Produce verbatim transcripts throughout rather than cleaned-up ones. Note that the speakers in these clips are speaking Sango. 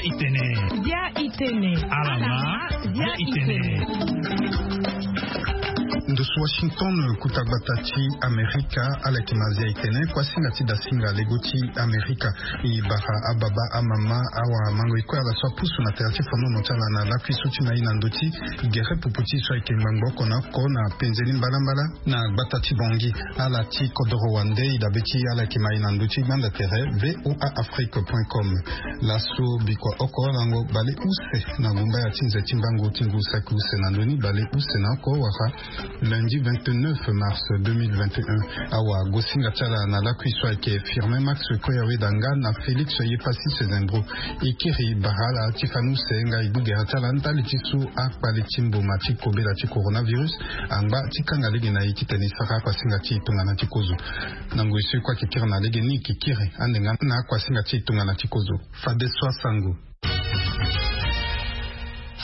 Itene. Bia itene. Alama. Bia itene. Ndusu Washington, kuta gbata ti Amerika, ala yeke ma Bia itene, kuasinga ti dasinga lego ti Amerika. E bara ababa, amama, awamango, e kue ala so apusu na tere ti fonono ti ala na lakui so ti ma e na ndö ti gere pupu ti e so ayeke ngbangbo oko na oko na penze ni mbalambala na gbata ti Bangui. Ala ti kodoro wande e dabe ti ala yeke ma e na ndö ti gbanda tere V O A Afrique point com. Laso bikua oko lango bale use na gumbaya ti nze ti mbangu ti ngu saki use na ndö ni bale use na oko wara lundi vingt-neuf mars deux mille vingt et un. Awa gosinga ti ala na lakui so ayeke Firmin Max Koyawedanga na Félix Yepassis Zembro. E kiri bara ala ti fani use nga e gbu gere ti ala ndali ti so akpale ti mboma ti kobela ti coronavirus angba ti kanga lege na e titene e sara akuasinga ti e tongana ti kozo. Na ngoi so e kue ayeke kiri na lege ni, e yeke kiri ande nga na akuasinga ti e tongana ti kozo. Fadeso asango.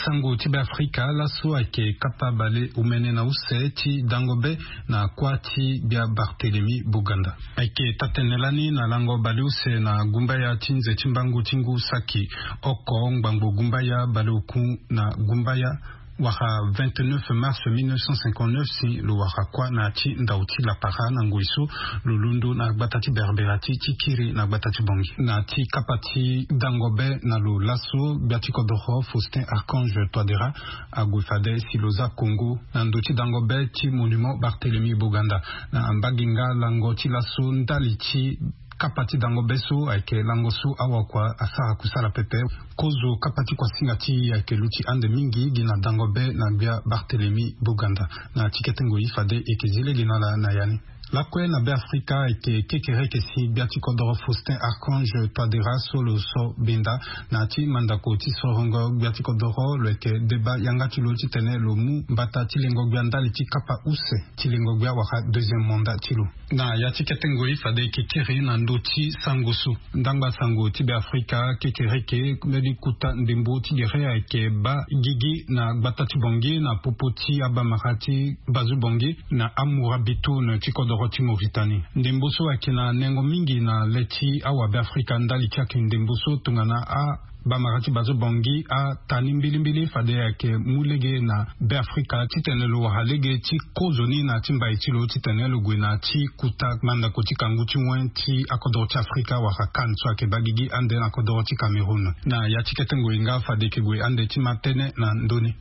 Sango ti Beafrika, laso ayeke kapa bale omene na use ti dango be na kuâ ti gbia Barthélemy Boganda. Ayeke taa-tënë lani na lango bale use na gumbaya ti nze ti mbangu ti ngu saki oko ngbangbo gumbaya bale oku na gumbaya wara vingt-neuf mars mille neuf cent cinquante-neuf, si lo wara kuâ na ya ti ndau ti lapara na ngoi so lo londo na gbata ti Berbera ti ti kiri na gbata ti Bangui. Na ya ti kapa ti dango be na lo laso, gbia ti kodoro Faustin Archange Touadéra ague fade si lo za kongo na ndö ti dango be ti monument Barthélemy Boganda. Na mbage nga lango ti laso, ndali ti kapa ti dango be so ayeke lango so awakua asara kusala pepe. Kozo kapa ti kuasinga ti e ayeke luti ande mingi gi na dango be na gbia Barthélemy Boganda. Na ya ti kete ngoi fade e yeke zi lege na ala na ya ni. Lakue na Beafrika ayeke kekereke si gbia ti kodoro Faustin Archange Touadéra so lo so benda na ya ti mandako ti sorongo gbia ti kodoro, lo yeke deba yanga ti lo titene lo mu mbata ti lengo gbia ndali ti kapa use ti lengo gbia wala deuxième mandat ti lo. Na ya ti kete ngoi fade e yeke kiri na ndö ti sango so. Ndangba sango ti Beafrika kekereke mbeni kuta ndembo ti gere ayeke baa gigi na gbata ti Bangui na popo ti abamara ti Bazu Bangui na Amourabitoun ti kodoro ti Mauritanie. Ndembo so ayeke na nengo mingi na le ti awa Beafrika ndali ti ayeke ndembo so tongana a bamara ti Bazu Bangui ata ni mbilimbili fade ayeke mu lege na Beafrika titene lo wara lege ti kozo ni na ya ti mbai ti lo titene lo gue na ya ti kuta mandako ti kangu ti wen ti akodoro ti Afrika wala CAN so ayeke baa gigi ande na kodoro ti Cameroun. Na ya ti kete ngoi nga fade e yeke gue ande ti ma tënë na ndö ni.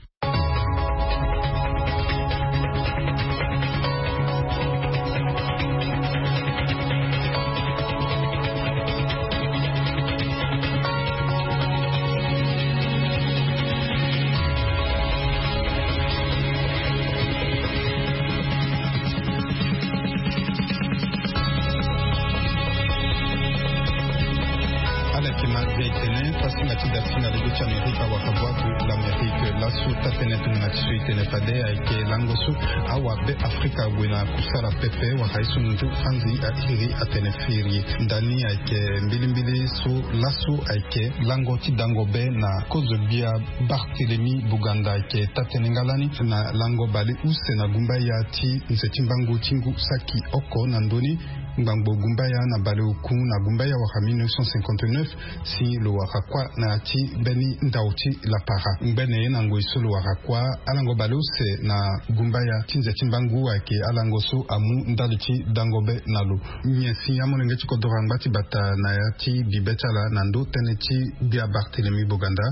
Ala yeke ma Bia itene, kuasinga ti dasinga lego ti Amerika wala Voix de l'Amérique. Laso taa-tënë tongana ti so e tene fade ayeke lango so awa Beafrika ague na kusala pepe wala ye so nzu fanzi airi atene firi. Ndani ayeke mbilimbili so laso ayeke lango ti dango be na kozo gbia Barthélemy Boganda ayeke taa-tënë nga lani na lango bale use na gumbaya ti nze ti mbangu ti ngu saki oko na ndö ni ngbangbo gumbaya na bale oku na gumbaya wala mille neuf cent cinquante-neuf, si lo wara kuâ na ya ti mbeni ndau ti lapara. Ngbene na ngoi so lo wara kuâ, alango bale use na gumbaya ti nze ti mbangu ayeke alango so amu ndali ti dango be na lo. Nyen si amolenge ti kodoro angba ti bata na ya ti bibe ti ala na ndö tënë ti gbia Barthélemy Boganda?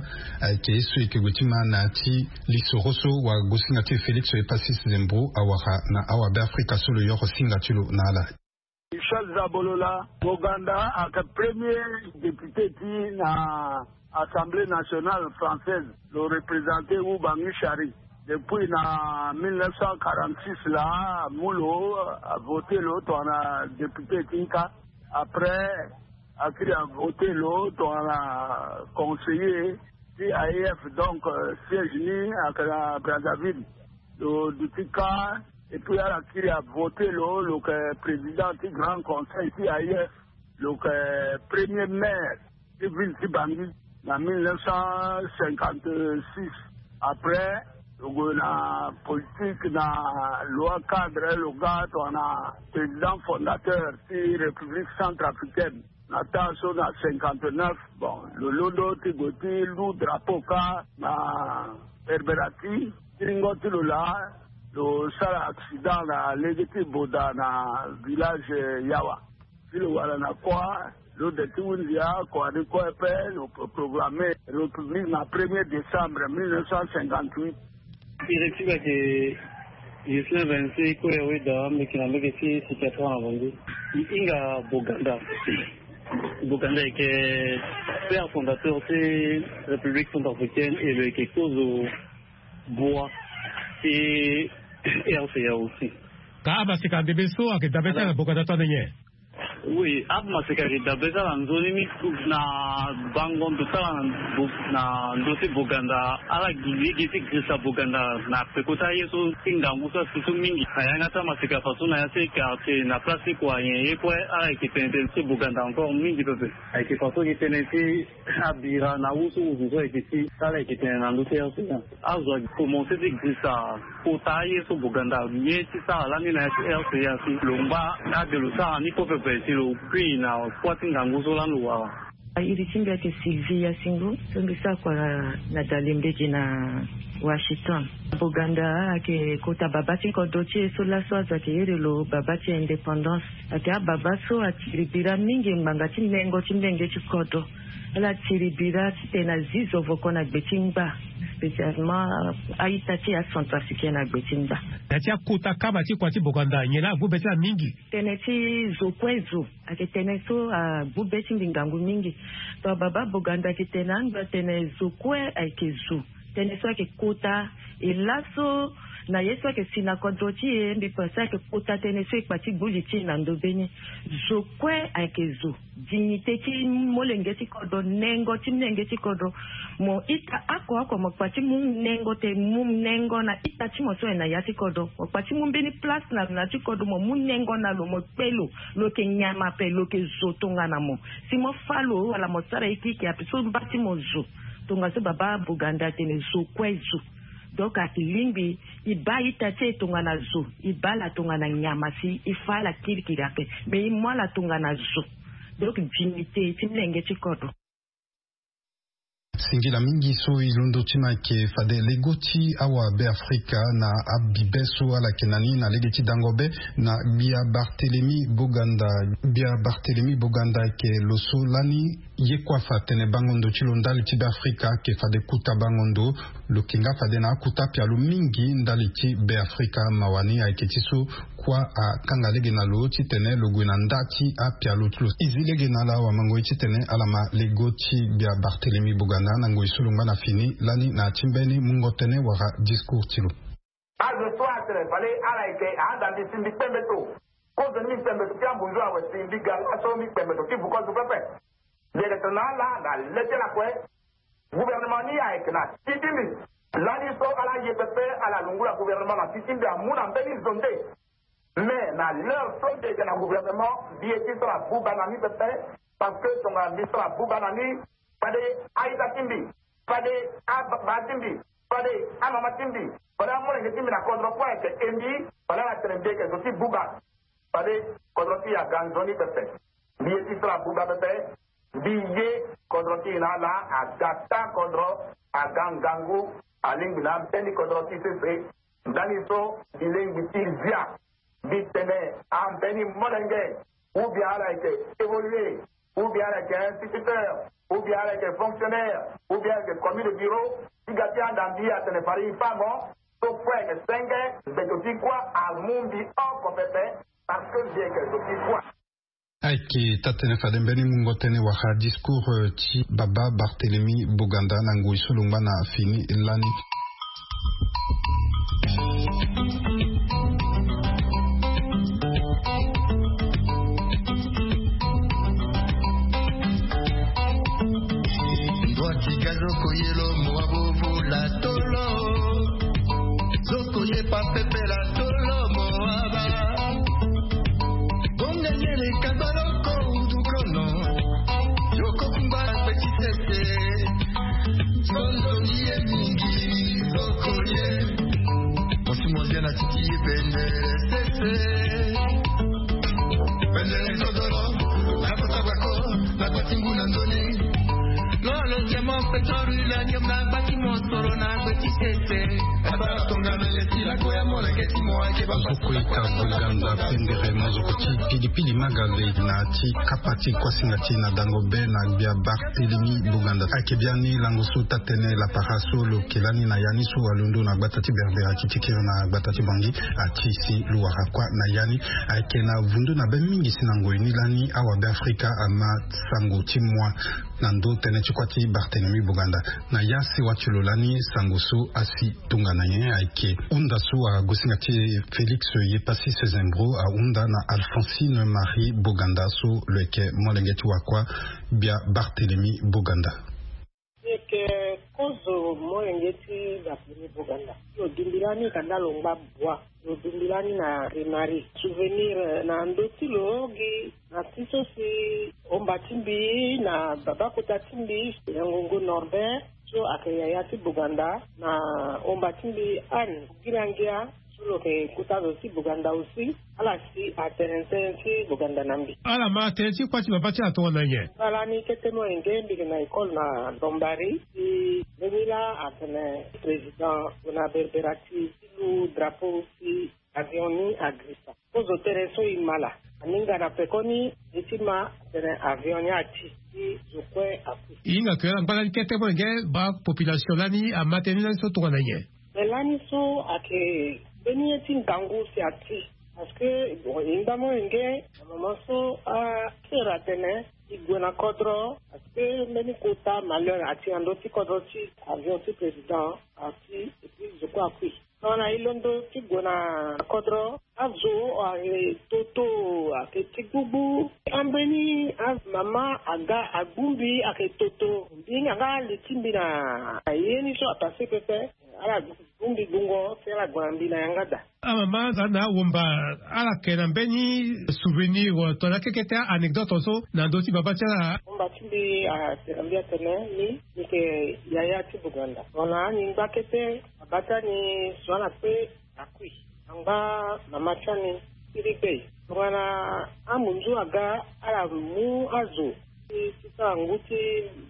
Ayeke ye so e yeke gue ti ma na ya ti lisoro so wagosinga ti e Félix Yepassis Zembro awara na awa Beafrika so lo yoro singa ti lo na ala. Michel Zabolola, Boganda ayeke premier député ti e na Assemblée nationale française, lo représenter Oubangui Chari. Depuis na mille neuf cent quarante-six laa, amu lo, avoter lo tongana député ti nka. Après, akiri avoter lo tongana conseiller ti A E F, donc, euh, siège ni ayeke na Brazzaville. Lo duti kâ, et puis ala kiri avoter lo, lo yeke président ti Grand Conseil ti A E F, lo yeke premier maire ti ville ti Bangui na mille neuf cent cinquante-six. Après, lo gue na politique na loi cadre, lo ga tongana président fondateur ti République centrafricaine. Na temps so na cinquante-neuf, bon, lo londo ti gue ti lu drapeau kâ na Herberati. Tiringo ti lo laa, lo sara accident na lege ti Boda na village Yawa. Si lo wara na kua, lo de ti hunzi akua ni kue ape, lo programme République na premier décembre mille neuf cent cinquante-huit. Directive ayeke Ghislain Vinci, kue awe daa mbi yeke na mbage ti Sikatrang na Bangui. E hinga Boganda. Boganda ayeke père fondateur ti République centrafricaine et lo yeke kozo bua ti R C A aussi. Ka amaseka ndembe so ayeke dabe ti ala na Boganda tongana nyen? Oui, amaseka ayeke dabe ti ala na nzoni mingi na bango ndo ti ala na bo-, na ndö ti Boganda. Ala gi lege ti girisa Boganda na peko ti aye so ti ngangu so asi so mingi. Na yanga ti amaseka faso na ya ti quartier na place ti kua nyen ye kue ala yeke tene tënë ti Boganda encore mingi pepe. Ayeke faso ayeke tene ti abira na awu so wuzu so ayeke ti ala yeke tene na ndö ti R C A. Azo ayeke komanse ti girisa kota aye so Boganda ye ti sara lani na ya ti R C A si lo ngba ade lo sara ni kue pepe si lo kui na kua ti ngangu so lani lo wara. Iri ti mbi ayeke Sylvie Yasingo, so mbi sara kua na, na Dalimbege na Washington. Boganda ayeke kota baba ti kodro ti e so laso azo ayeke iri lo baba ti indépendance. Ayeke ababa so atiri bira mingi ngbanga ti nengo ti mbenge ti kodro. Ala tiri bira titene azi zo voko na gbe ti ngba, spécialement a-ita ti acentrafricain na gbe ti ngba. Na ya ti akota kaba ti kua ti Boganda nyen laa agbu be ti ala mingi? Tënë ti zo kue zo ayeke tënë so agbu be ti mbi ngangu mingi. Donc baba Boganda ayeke tene ando atene zo kue ayeke zo. Tënë so ayeke kota e laso na ye so ayeke si na kodro ti e, mbi pense ayeke kota tënë so e kpa ti gbu li ti e na ndö be ni. Zo kue ayeke zo. Dignité ti molenge ti kodro, nengo ti molenge ti kodro. Mo ita oko oko mo kpa ti mu nengo te, mu nengo na ita ti mo so ayeke na ya ti kodro. Mo kpa ti mu mbeni place na lo na ya ti kodro, mo mu nengo na lo, mo kpe lo, lo yeke nyama ape, lo yeke zo tongana mo. Si mo fâ lo wala mo sara ye kirikiri ape so mba ti mo zo. Tongaso baba Boganda atene zo kue zo. Donc ayeke lingbi e baa ita ti e tongana zo, e baa ala tongana nyama si e fâ ala kirikiri ape, me e mu ala tongana zo. Donc dignité ti molenge ti kodro. Singila mingi so e londo ti ma ayeke fade lego ti awa Beafrika na abibe so ala yeke na ni na lege ti dango be na gbia Barthélemy Boganda. Gbia Barthélemy Boganda ayeke lo so lani ye kue afa atene bango ndo ti lo ndali ti Beafrika ayeke fade kota bango ndo. Lo yeke nga fade na akota apialo mingi ndali ti Beafrika. Mawa ni ayeke ti so kua akanga lege na lo titene lo gue na nda ti apialo ti lo. E zi lege na ala wamango ye titene ala ma lego ti gbia Barthélemy Boganda na ngoi so lo ngba na fini lani na ya ti mbeni mungo tënë wala discours ti lo. Azo so atene fade ala yeke ahanda mbi si mbi kpe mbeto. Kozo ni mbi kpe mbeto ti ambunzu awe si mbi ga laso mbi kpe mbeto ti vuko zo pepe. Mbi yeke tene na ala na le ti ala kue. Gouvernement ni ayeke na ti ti mbi. Lani so ala ye pepe ala lungula gouvernement na ti ti mbi amu na mbeni zo nde. Mais na l'heure so mbi yeke na gouvernement mbi ye ti sara buba na ni pepe. Parce que tongana mbi sara buba na ni, fade a-ita ti mbi, fade ababa ti mbi, fade amama ti mbi, fade amolenge ti mbi na kodro kue ayeke e mbi. Fade ala tene mbi yeke zo ti buba. Fade kodro ti e aga nzoni pepe. Mbi ye ti sara buba pepe. Mbi ye kodro ti e na ala aga taa kodro, aga ngangu, alingbi na ambeni kodro ti sese. Ndani so mbi lingbi ti zia. Mbi tene ambeni molenge, ou bien ala yeke évoluer, ou bien ala yeke instituteur, ou bien ala yeke fonctionnaire, ou bien ala yeke commis de bureau, ti ga ti anda mbi atene fade e fâ mo. So kue ayeke senge, mbeto ti kua amu mbi oko pepe. Parce que mbi yeke zo ti kua. Ayeke taa-tënë fade mbeni mungo tënë wala discours, euh, ti baba Barthélemy Boganda na ngoi so lo ngba na fini lani. Ndwati ga zo koyelo mo wa bobo la tolo. Zo koye pa pepe la tolo mo wa ba. Bonga nyele ka ba loko udu kono. Yoko kumba pe ti tete. Zondo ni ye mingi zo koye. Mosi mo zia na titi ye bendele sese. Bendele zodoro. Na kota bako. Zo kue ka Bouganda pendere mozoko ti pilipili magale na ti kapa ti kuasinga ti na dango be na gbia Barthélemy Bouganda. Ayeke biani lango so taa-tënë lapara so lo yeke lani na ya ni so alondo na gbata ti Berbera ti tikiri na gbata ti Bangui. Ati si lo wara kuâ na ya ni, ayeke na vundu na be mingi si na ngoi ni lani awabe Afrika ama sango ti moi na ndö tënë ti kuâ ti Barthélemy Bouganda. Na ya sewa ti lo lani sango so asi tongana nyen? Ayeke hunda so agosinga ti e Félix Yepassi Sezembro ahunda na Alphonsine Marie Bouganda so lo yeke molenge ti wakua gbia Barthélemy Bouganda. Yeke kozo molenge ti Barthélemy Bouganda. Lo dungbi lani ka nda lo ngba bua. Lo dungbi lani na Remari. Souvenir, eh, na ndö ti lo gi na ti so si omba ti mbi na baba kota ti mbi na ngongo Norbert so ayeke yaya ti Bouganda, na omba ti mbi Anne Girangia so lo yeke kota zo ti Bouganda aussi. Ala si atene tënë ti Bouganda na mbi. Ala ma tënë ti kuâ ti baba ti ala tongana nyen? Ala ni kete molenge mbi yeke na école na Dombari, si mbeni laa atene président gue na Berbera ti lu drapeau ti avion ni agrisa. Kozo tënë so e ma laa. Aninga na pekoni e ti ma atene avion ni ati, si zo kue akui. E hinga ke ala ngba lani kete molenge, baa population lani ama tënë ni lani so tongana nyen? Me lani so ayeke mbeni ye ti ngangu si ati. Parce que, bon, e ngba molenge na moment so asœur atene e gue na kodro, parce que mbeni kota malheur ati na ndö ti kodro ti avion ti président ati, et puis zo kue akui. Tongana e londo ti gue na kodro, azo ayeke toto, ayeke ti gbugbu. Ambeni amama aga agbungbi ayeke toto. Mbi hinga nga li ti mbi na ye ni so apasse pepe. Ala gbungbi gbungo si ala gue na mbi na yanga daa. Amama aza na awomba, ala yeke na mbeni souvenir tongana kekete anecdote so na ndö ti baba ti ala? Omba ti mbi atene na mbi atene ni, ni yeke yaya ti Bouganda. Tongana ani ngba kete, baba ti ani so ala kpe akui. Angba mama ti ani ti ri kpe. Tongana amunzu aga ala mu azo ti, ti sara ngu ti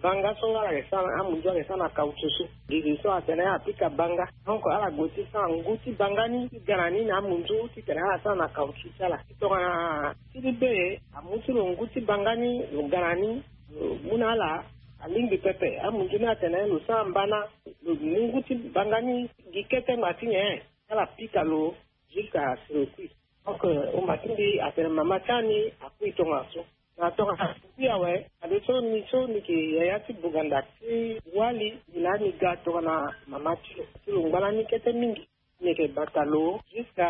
banga so ala yeke sara, amunzu ala yeke sara na caoutchouc so. Gigi so atene apika banga. Donc ala gue ti sara ngu ti banga ni ti ga na ni na amunzu titene ala sara na caoutchouc ti ala. Tongana ti libe amu ti lo ngu ti banga ni, lo ga na ni, lo mu na ala, alingbi pepe. Amunzu ni atene lo sara mbana, lo mu ngu ti banga ni gi kete ngba ti nyen? Ala pika lo jusqu'à si lo kui. Donc, euh, omba ti mbi atene mama ti ani akui tongana so. Na tongana akui awe, ade so ni so ni yeke yaya ti Bouganda ti wali, ni laa ni ga tongana mama ti lo. Ti lo ngba lani kete mingi. Ni yeke bata lo jusqu'à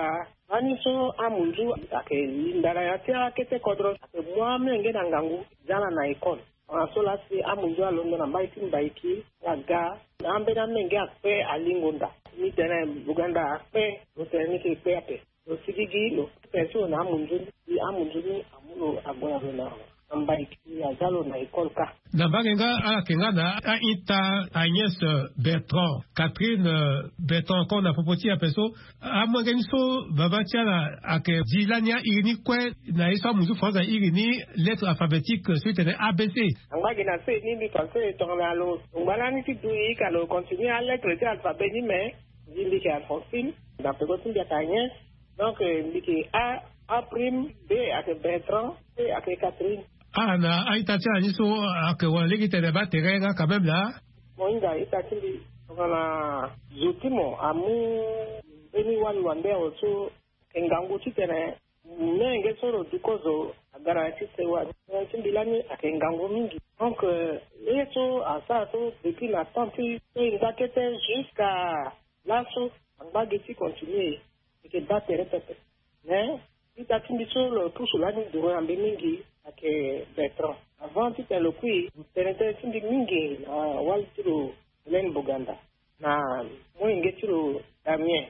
lani so amunzu ayeke linda na ya ti akete kodro, ayeke mu amolenge na ngangu, za ala na école. Tongana so laa si amunzu alondo na mbai ti Mbaiki, ala ga na ambeni amolenge akpe alingo nda. Ni tene Bouganda akpe, lo tene ni yeke kpe ape. Lo sigigi, lo kpe so na amunzu ni, si amunzu ni amu lo ague na lo na, na Mbaiki, aza lo na école kâ. Na mbage nga ala yeke nga na a-ita Agnès Bertrand, Catherine, euh, Bertrand encore na popo ti e ape so. Amolenge ni so baba ti ala ayeke zi lani airi ni kue na ye so amunzu France airi ni lettre alphabétique so e tene A B C. Angba gi na se ni mbi pense tongana lo ngba lani ti du e ka lo continuer alettre ti alphabet ni, mais mbi, mbi yeke Alphonsine, na peko ti mbi ayeke Agnès. Donc, euh, mbi yeke A, A prime, B ayeke Bertrand, C ayeke Catherine. Ah, na a-ita ti ala ni so ayeke wara lege tene baa tere nga quand même laa. Mo hinga ita ti mbi, tongana zo ti mo amu mbeni wali wande awe so, ayeke ngangu titene molenge so lo du kozo aga na ya ti sewa. Tënë ti mbi lani ayeke ngangu mingi. Donc, euh, ye so asara so depuis na temps ti so e ngba kete jusqu'à laso, angba gi ti continuer, e yeke baa tere pepe. Mais ita ti mbi so lo pusu lani duru na mbi mingi ayeke Bertrand. Avant titene lo kui, lo tene tënë ti mbi mingi na wali ti lo Hélène Bouganda, na molenge ti lo Damien.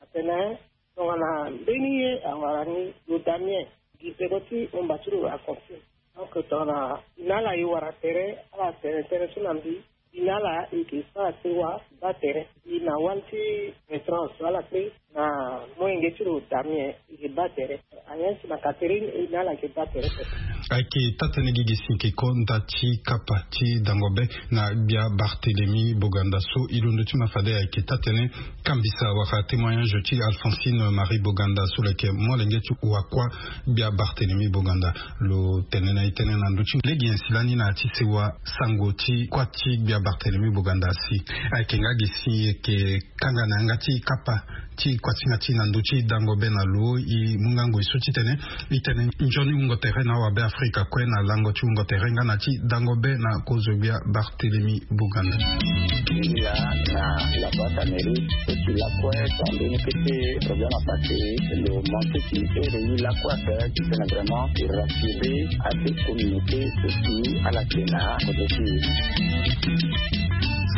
Atene tongana mbeni ye awara ni, lo Damien, gi peko ti omba ti lo Alphonsine. Donc tongana e na ala e wara tere, ala tene tënë so na mbi, e na ala e yeke sara sewa, baa tere. E na wali ti Bertrand so ala kpe. Molenge ti lo dami e, e ke baa tere. Ayen si na Catherine e na ala ke baa tere. Ayeke taa-tënë gigi si e ke ko nda ti kapa ti dango be na gbia Barthélemy Boganda so e londo ti ma fade ayeke taa-tënë kambisa wala témoignage ti Alphonsine Marie Boganda so lo yeke molenge ti wakua gbia Barthélemy Boganda. Lo tene na e tënë na ndö ti lege nyen si lani na ya ti sewa sango ti kuâ ti gbia Barthélemy Boganda si ayeke nga gi si e yeke kanga na yanga ti kapa ti kuâ ti nga ti na ndö ti dango be na lo. E mu nga ngoi so titene e tene nzoni wungo tere na awabe Afrika kue na lango ti wungo tere nga na ti dango be na kozo gbia Barthélemy Boganda. Ila na la boîte à mairie et puis la kue tande ni kete problème à passer. Lo manque ti ere yi la kue ape titene vraiment e rassurer ade communauté so si ala ke na kozo ti e.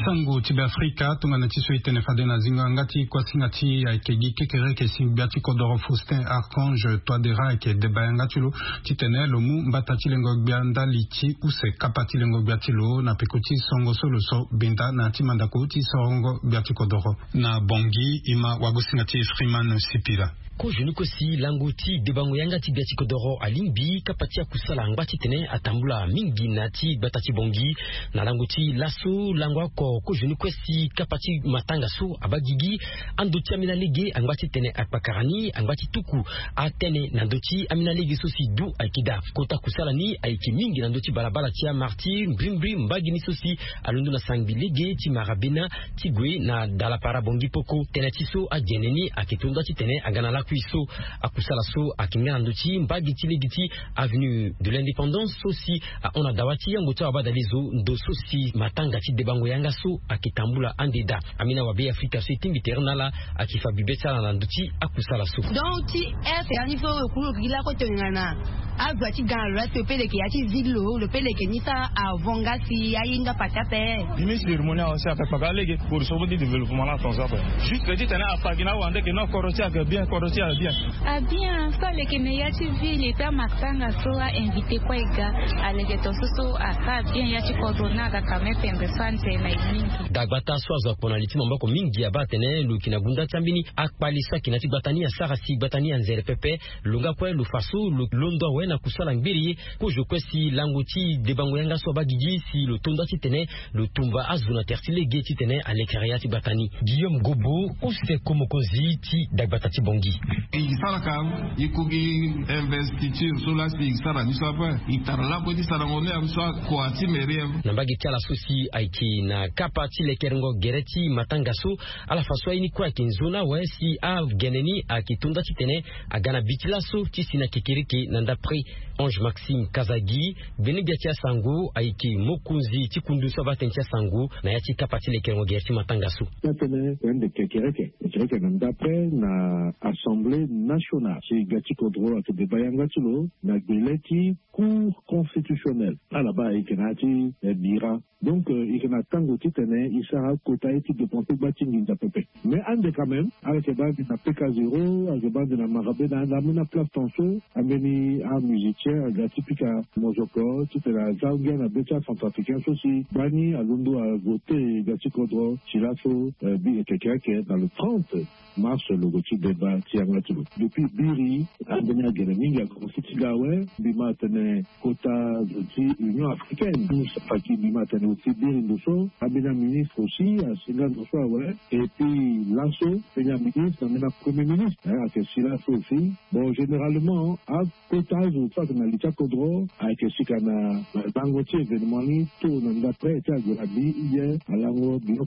Sango ti Beafrika tongana ti so e tene fade na zingo yanga ti kuâ ti nga ti ayeke gi kekereke si gbia ti kodoro Faustin Archange Touadéra ayeke deba yanga ti lo titene lo mu mbata ti lengo gbia ndali ti use kapa ti lengo gbia ti lo na peko ti songo so lo so benda na ya ti mandako ti sorongo gbia ti kodoro. Na Bangui e ma wagosinga ti Freeman Sipila. Kozoni kue si lango ti debango yanga ti gbia ti kodoro alingbi kapa ti akusala angba titene atambula mingi na ya ti gbata ti Bangui. Na lango ti laso lango oko kozoni kue si kapa ti matanga so abaa gigi ando ti ambeni alege angba titene akpakara ni angba ti tuku atene na ndö ti ambeni alege so si du ayeke daa. Kota kusala ni ayeke mingi na ndö ti balabala ti amartyr mbrimbri mbage ni so si alondo na sangbi lege ti marabena ti gue na dalapara Bangui Poko. Tënë ti so agene ni ayeke tonda titene aga na lakui so. Akusala so ayeke nga na ndö ti mbage ti lege ti avenue de l'Indépendance so si ahon na dawa ti yango ti awabadalezo ndo so si matanga ti debango yanga so ayeke tambula ande daa. Ambeni awabe Afrika so e tingbi tere na ala ayeke fa bibe ti ala na ndö ti akusala so. Donc ti heure ti so lo kuru lo gi lakue tongana azo ya ti ga na lo la si lo pe leke ya ti ville lo lo pe leke ni sara avant nga si aye nga pasi ape. Ministre de l'harmonie awa si ayeke kpaka alege pour so ti développement la atonzo ape. Juste titene afa gi na awande ke non kodro ti ayeke bien kodro ti ayeke bien. Abien so aleke na ya ti ville et puis amatanga so a invité kue e ga. Aleke tonso so asara bien ya ti kodro ni aga quand même pembe so anze na e mingi. Dagbata so azo akpo na li ti maboko mingi abaa atene lo yeke na gunda ti ambeni akpale so ayeke na ya ti gbata ni asara si gbata ni anzere pepe. Lo nga kue lo fa so lo londo awe na kusala ngbiri ye. Kozo kue si lango ti debango yanga so abaa gigi si lo tonda titene lo tumba azo na tere ti lege titene alekere ya ti gbata ni. Guillaume Gobo use ko mokonzi ti dagbata ti Bangui. E saraka e ko gi investiture so laa si e sara ni so ape. E tara lakue ti sarango ni ape so akua ti mairie. Na mbage ti ala so si ayeke na kapa ti lekerengo gere ti matanga so ala fa so aye ni kue ayeke nzoni awe si agene ni ayeke tonda titene aga na bi ti laso ti si na kekereke na ndapre. Ange Maxime Kazagi gbene gbia ti asango ayeke mokonzi ti kundu so abaa tënë ti asango na ya ti kapa ti lekerengo gere ti matanga so. Atene ande kekereke kekereke na ndapre na assemblée nationale si gbia ti kodro ayeke deba yanga ti lo na gbele ti cour constitutionnelle. Ala baa ayeke na ya ti bira. Donc e yeke na tango titene e sara akota ye ti dépense gba ti nginza pepe. Mais ande quand même ala yeke baa ande na P K zéro, ala yeke baa ande na marabena ande ambeni aplace tanso. Ambeni amusicien aga ti pika mozoko titene aza ngia na be ti acentrafricain so si gbani alondo avote ga ti kodro. Ti laso bi eke eke eke na le trente mars logo ti deba ti yanga ti lo. Depuis biri ambeni agene mingi akomanse ti ga awe. Mbi ma atene kota zo ti Union africaine, Moussa Faki, mbi ma atene aussi biri ndo so ambeni aministre aussi asinga ndo so awe. Et puis laso mbeni aministre na mbeni apremier ministre ayeke si laso aussi. Bon, généralement akota azo so ayeke na li ti akodro ayeke sika na lango ti événement ni to na ndapre ti ague na bi ye alango bino.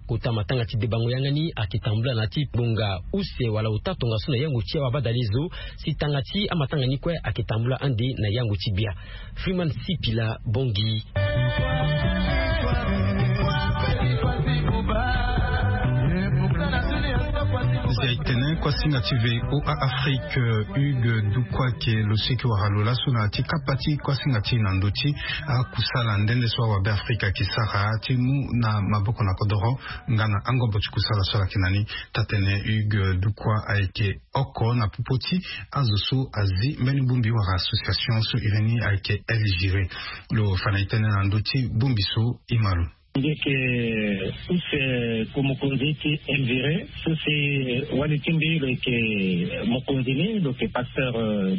Kota matanga ti debango yanga ni ayeke tambula na ya ti ngonga use wala ota tongaso na yango ti awabadalezo. Si tanga ti amatanga ni kue ayeke tambula ande na yango ti bia. Freeman Sipila, Bongi. Nze ayeke tene kuasinga ti V O A Afrique, Hugues Dukwa ke lo siki wara lo laso na ya ti kapa ti kuasinga ti na ndö ti akusala nde nde so awabe Afrika ayeke sara ti mu na maboko na kodoro nga na angobo ti kusala so ala yeke na ni. Taa-tënë Hugues Dukwa ayeke oko na popo ti azo so azi mbeni bongbi wala association so iri ni ayeke L G R. Lo fa na e tënë na ndö ti bongbi so e ma lo. Ndeke use ku mokonzi ti Elvire, so si wali ti mbi lo yeke mokonzi ni, lo yeke pasteur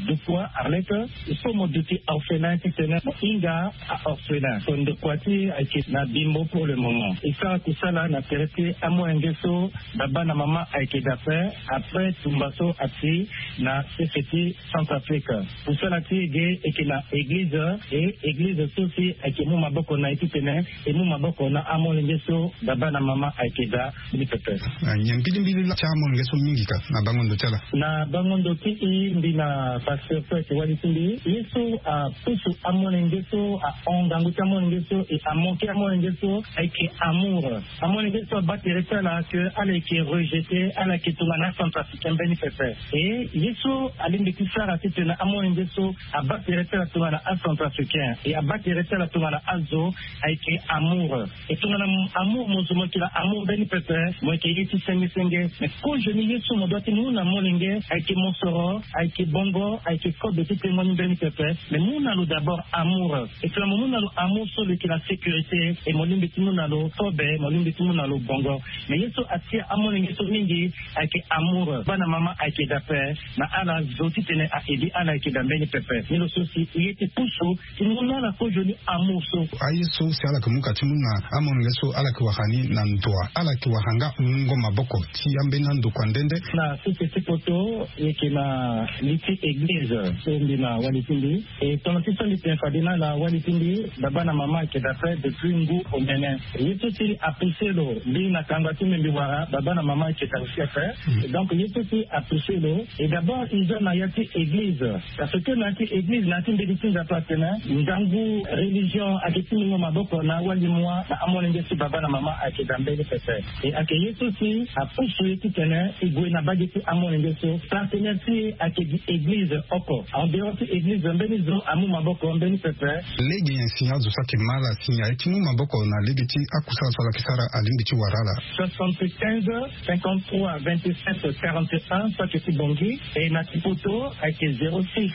Dukwa Arlette. So mo duti orphelin titene mo hinga a orphelin. So ndokua ti ayeke na bimbo pour le moment. E sara kusala na tere ti amolenge so baba na mama ayeke dape après tumba so ati na sese ti Centrafrique. Kusala ti e ge eke na eglize, e eglize so si ayeke mu maboko na e titene e mu maboko na amolenge so baba na mama ayeke daa ni pepe. Nyen mbilimbili la ti amolenge so mingi ka na bango ndo ti ala? Na bango ndo ti e, mbi na pasteur so ayeke wali ti mbi, ye so apusu amolenge so, ahon ngangu ti amolenge so, e amanke amolenge so ayeke amour. Amolenge so aba tere ti ala ke ala yeke rejeté, ala yeke tongana acentrafricain mbeni pepe. E ye so alingbi ti sara titene amolenge so aba tere ti ala tongana acentrafricain, e aba tere ti ala tongana azo, ayeke amour. E tongana amour mo zo mo yeke na amour mbeni pepe, mo yeke ye ti senge senge. Mais kozoni ye so mo doit ti mu na molenge ayeke mosoro, ayeke bongo, ayeke kobe ti témoin ni mbeni pepe. Mais mu na lo d'abord amour. E tongana mo mu na lo amour so lo yeke na sécurité, e mo lingbi ti mu na lo kobe, mo lingbi ti mu na lo bongo. Mais ye so atia amolenge so mingi ayeke amour. Bana mama ayeke dape na ala zo titene a aider ala ayeke daa mbeni pepe. Ni lo so si e ye ti pusu ti mu na ala kozoni amour so. Aye so si ala yeke mu ka ti mu na amolenge so ala yeke wara ni na ndo wa, ala yeke wara nga wungo maboko ti ambeni andokua nde nde. Na sese ti poto e yeke na li ti eglize so mbi na wali ti mbi. E tongana ti so mbi tene fade na ala wali ti mbi, baba na mama ayeke dape depuis ngu omene. Ye so si apoussé lo mbi na kanga ti mbi mbi wara, baba na mama ayeke daa aussi ape. Donc ye so si apoussé lo, e d'abord e za na ya ti eglize. Parce que na ya ti eglize, na ya ti mbeni ti Nzapa atene ngangu religion ayeke ti mungo maboko na awali mua na amolenge so baba na mama ayeke daa mbeni pepe. E ayeke ye so si apusu e titene e gue na bage ti amolenge so. Partenaire ti e ayeke gi eglize oko. En dehors ti eglize mbeni zo amu maboko mbeni pepe. Lege nyen si azo so ayeke ma ala si aye ti mu maboko na lege ti akusala so ala yeke sara alingbi ti wara ala? Soixante-quinze, cinquante-trois, vingt-sept, quarante et un, so ayeke ti Bangui. E na ti poto ayeke zéro six,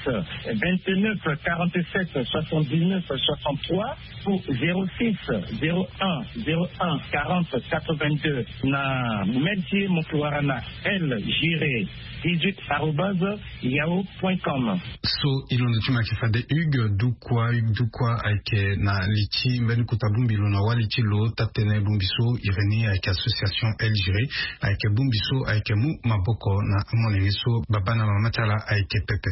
vingt-neuf, quarante-sept, soixante-dix-neuf, soixante-trois, ou zéro six, zéro un, zéro un, quarante, quatre-vingt-deux. Na mail ti e mo yeke wara na L Giré dix-huit arobase yahoo point com. So e londo ti mo ayeke fade Hugues Dukwa. Hugues Dukwa ayeke na li ti mbeni kota bongbi lo na wali ti lo taa-tënë bongbi so iri ni ayeke association L Giré, ayeke bongbi so ayeke mu maboko na amolenge so baba na mama ti ala ayeke pepe.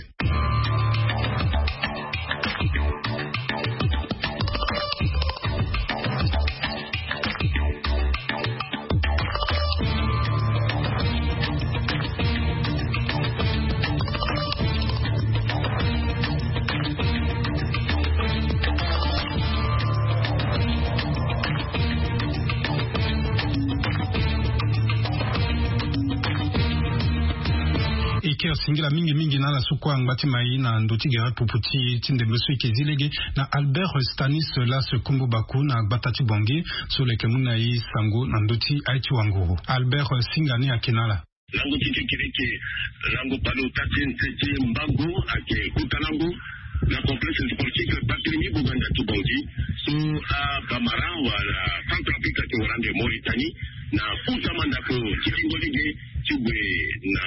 E ke singila mingi mingi na ala so kue angba ti mai na ndo ti gere pupu ti e ti ndembe so e ke zi lege na Albert Stanislas Kombo Baku na gbata ti Bangui so lo yeke mu na e sango na ndö ti aye ti wanguru. Albert, singa ni ayeke na ala. Lango ti kekereke, lango palo taa ti nse ti mbango ayeke kota lango na complexe sportif Barthélemy Boganda ti Bangui so abamara wala Centrafrique ayeke wara ande Mauritanie na kota mandako ti lingo lege ti gue na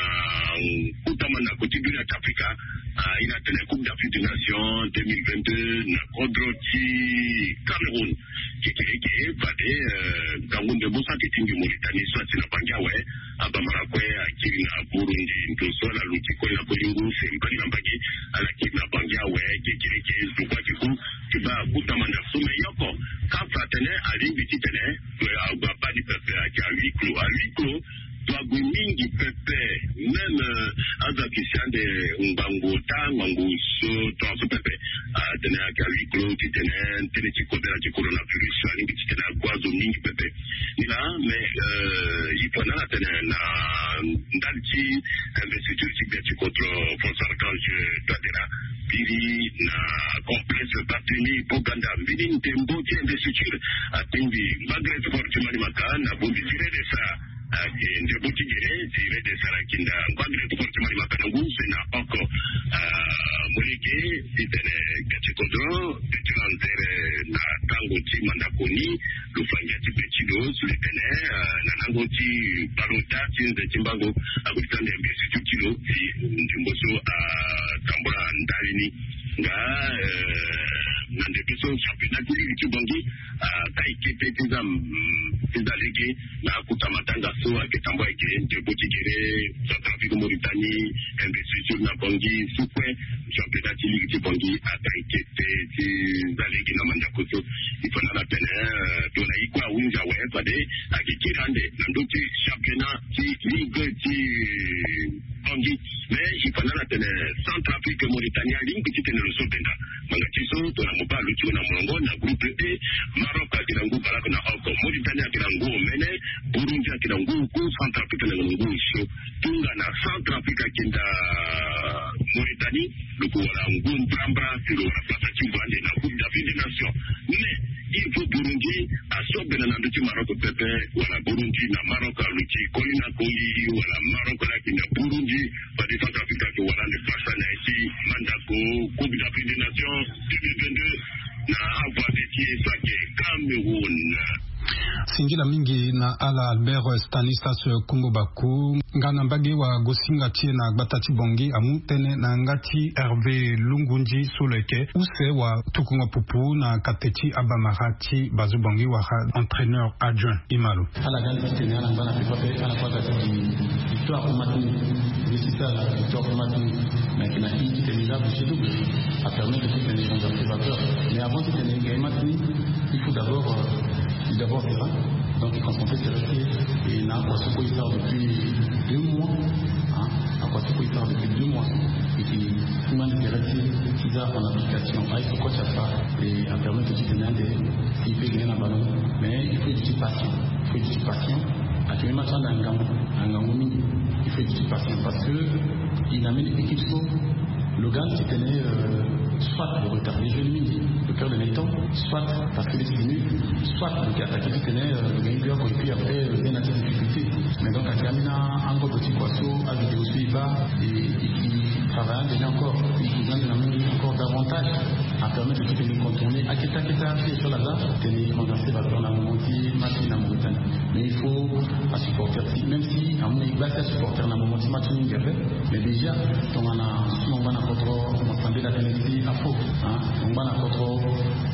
kota mandako ti dunia ti Afrika. Ah, e na tene Coupe d'Afrique des Nations deux mille vingt-deux na kodro ti Cameroun. Kekereke fade, eh, ngangu ndembo so ayeke ti mbi Mauritanie so asi na Bangi awe. Abamara kue akiri na Burundi, ndo so ala luti kue na kolingo se mbali na mbage, ala kiri na Bangi awe. Kekereke zo kue ayeke ku ti baa kota mandako so me yoko. CAF atene alingbi titene, eh, ague abaa ni pepe, ayeke à huis clos. À huis clos, to ague mingi pepe, même, euh, azo ayeke si ande ngbangbo ota, ngbangbo so, tongaso pepe. Ah, atene ayeke à huis clos titene tënë ti kodela ti coronavirus alingbi titene ague azo mingi pepe. Ni laa, mais, euh, il faut na ala tene na ndali ti investiture ti gbia ti kodro François Archange Touadéra, biri na complexe Barthélemy Boganda, mbeni ndembo ti investiture atingbi ngbagre sport ti Manimaka na bongbi ti Redesa. Ayeke ndembo ti gere ti Redesa na kinda ngbagre sport ti Manimaka na ngu use na oko. Ah, molenge titene gbia ti kodro ti lanzere na tango ti mandako ni, lo fa ngia ti be ti lo so lo tene na lango ti balo daa ti nze ti mbango. Ako ti sara nde investiture ti lo si ndembo so atambula ndali ni. Nga na ndembo so championnat ti ligue ti Bangui aka eke pe ti za ti za lege. Na akuta matanga so ayeke tambula ayeke ndembo ti gere Centrafrique Mauritanie, investiture na Bangui, sukue championnat ti ligue ti Bangui aka eke pe ti za lege na mandako so. Il faut na ala tene tongana e kue ahunzi awe fade ayeke kiri ande na ndö ti championnat ti ligue ti Bangui. Mais il faut na ala tene Centrafrique Mauritanie alingbi ti tene lo so benda. Ngbanga ti so tongana mo baa lo ti lo na molongo na groupe E, Maroc ayeke na ngu baleoko na oko, Mauritanie ayeke na ngu omene, Burundi ayeke na ngu oku, Centrafrique ayeke na ngu osio. Tongana Centrafrique ayeke nda Mauritanie, lo ko wara ngu mbrambra si lo wara place ti vo ande na Coupe d'Afrique des Nations. Mais il faut Burundi asobela na ndö ti Maroc pepe, wala Burundi na Maroc aluti koli na koli, wala Maroc laa ayeke na Burundi. Fade Centrafrique ayeke wara ande place na ya ti mandako Coupe d'Afrique des Nations deux mille vingt-deux na avoisin ti e so ayeke Cameroun. Singila mingi na ala Albert Stanislas Kumbo Baku. Nga na mbage wagosinga ti e na gbata ti Bangui amu tënë na yanga ti Hervé Lungunzi so lo yeke use watukunga pupu na kate ti abamara ti Bazu Bangui wala entraîneur adjoint. Imalo. Ala ga ande titene ala ngba na pepa pe ala kue aga ti gi victoire ti match nul. Réussite ala victoire ti match nul. Mais ayeke na i titene i la bouche double apermettre titene i renverser vapeur. Mais avant titene i gagne match nul, il faut d'abord euh, d'abord terrain. Donc i concentre terrain ti e. Et na akua so kue i sara depuis deux mois. Hein? Akua so kue i sara depuis deux mois. Et puis i ma ande terrain ti e ti za en application. Aye so kue ti afa. Et apermettre titene ande i peut gagner na ballon. Mais il faut être patient. Il faut être patient. Ayeke même ati ande na ngangu, na ngangu mingi. Il faut être patient parce que il a mené équipe so lo ga ande titene euh, soit lo retarder jeu mingi, lo perdre le temps, soit parce que lo yeke fini, soit lo yeke attaquer titene euh, lo gagner but oko et puis après lo gagner na ti difficulté. Mais donc ayeke ambeni angobo ti kua so avidéo so e baa. Et e travailler ande ni encore, e ga ande na mingi encore davantage. Apermettre titene e contourner akete akete atie so ala za titene e renverser vapeur na moment ti match ni na Mauritanie. Mais il faut asupporter ti même si amu na e gba ti asupporter na moment ti match ni mingi ape. Mais déjà tongana so mo ngba na kodro mo sambela tënë ti afo. Mo ngba na kodro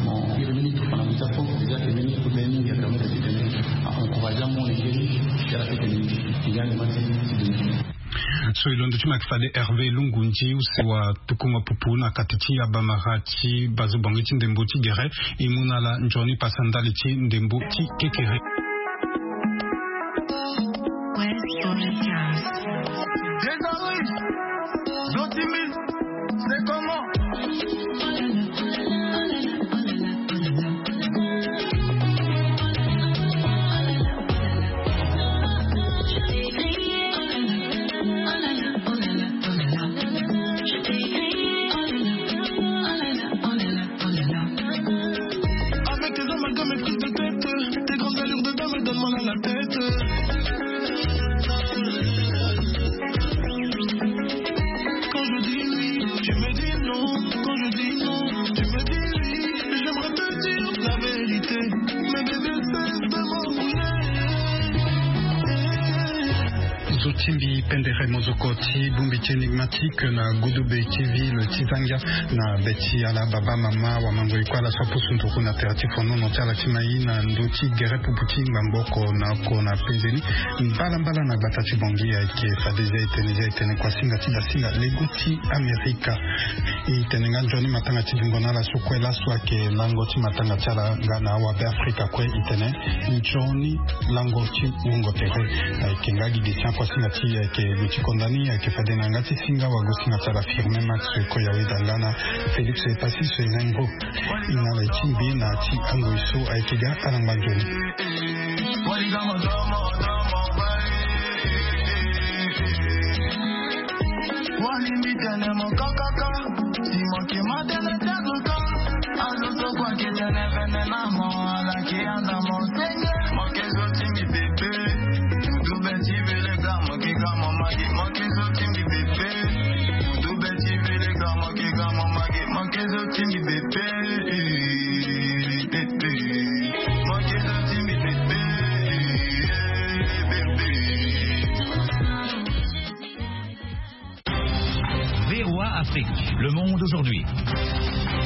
mo iri mbeni tufa na ndö ti afo. Déjà ayeke mbeni kota ye mingi apermettre titene a encourager amolenge ni ti ala titene e ga ande match ti demi. So e londo ti mo ayeke fade Hervé Lungunzi use watukunga pupu na kati ti abamara ti Bazu Bangui ti ndembo ti gere. E mu na ala nzoni pasa ndali ti ndembo ti kekere. Désolé, Zotimi, c'est comment? Avec tes amalgames et prises de tête, tes grandes allures de dame, elles donnent mal à la tête. Quand je dis oui, tu me dis non. Quand je dis non, tu me dis oui. J'aimerais te dire la vérité, mais bébé, cesse de m'embrouiller. Zo ti mbi pendere mozoko ti bongbi ti Enigmatique na Gudube T V, lo ti za ngia na be ti ala baba mama wamango e kue ala so apusu nduru na tere ti fonono ti ala ti mai na ndö ti gere pupu ti ngbangbo oko na oko na penze ni. Mbalambala na gbata ti Bangui ayeke fade zia e tene, zia e tene kua singa ti dasinga lego ti Amerika. E tene nga nzoni matanga ti dungo na ala so kue laso ayeke lango ti matanga ti ala nga na awabe Afrika kue. E tene nzoni lango ti wungo tere. Ayeke nga gi gi ti akua singa ti e ayeke lo ti konda ni ayeke fade na yanga ti singa wagosinga ti ala Firmin Max Koyaweda nga na Félix Epassis Rengo. E na ala e ti mbi na ti angoi so ayeke ga ala ngba nzoni. Walimbi tene mo kakaka. Si mo ke ma tene ti azo so, azo so kue ake tene vene na mo, ala ke anda mo senge. Mo ke zo ti mbi pepe. Mutu be ti vele ga mo ke ga mo mage. Mo ke zo ti mbi pepe. Mutu be ti vele ga mo ke ga mo mage. Mo ke zo ti mbi pepe. Pepe. Aujourd'hui.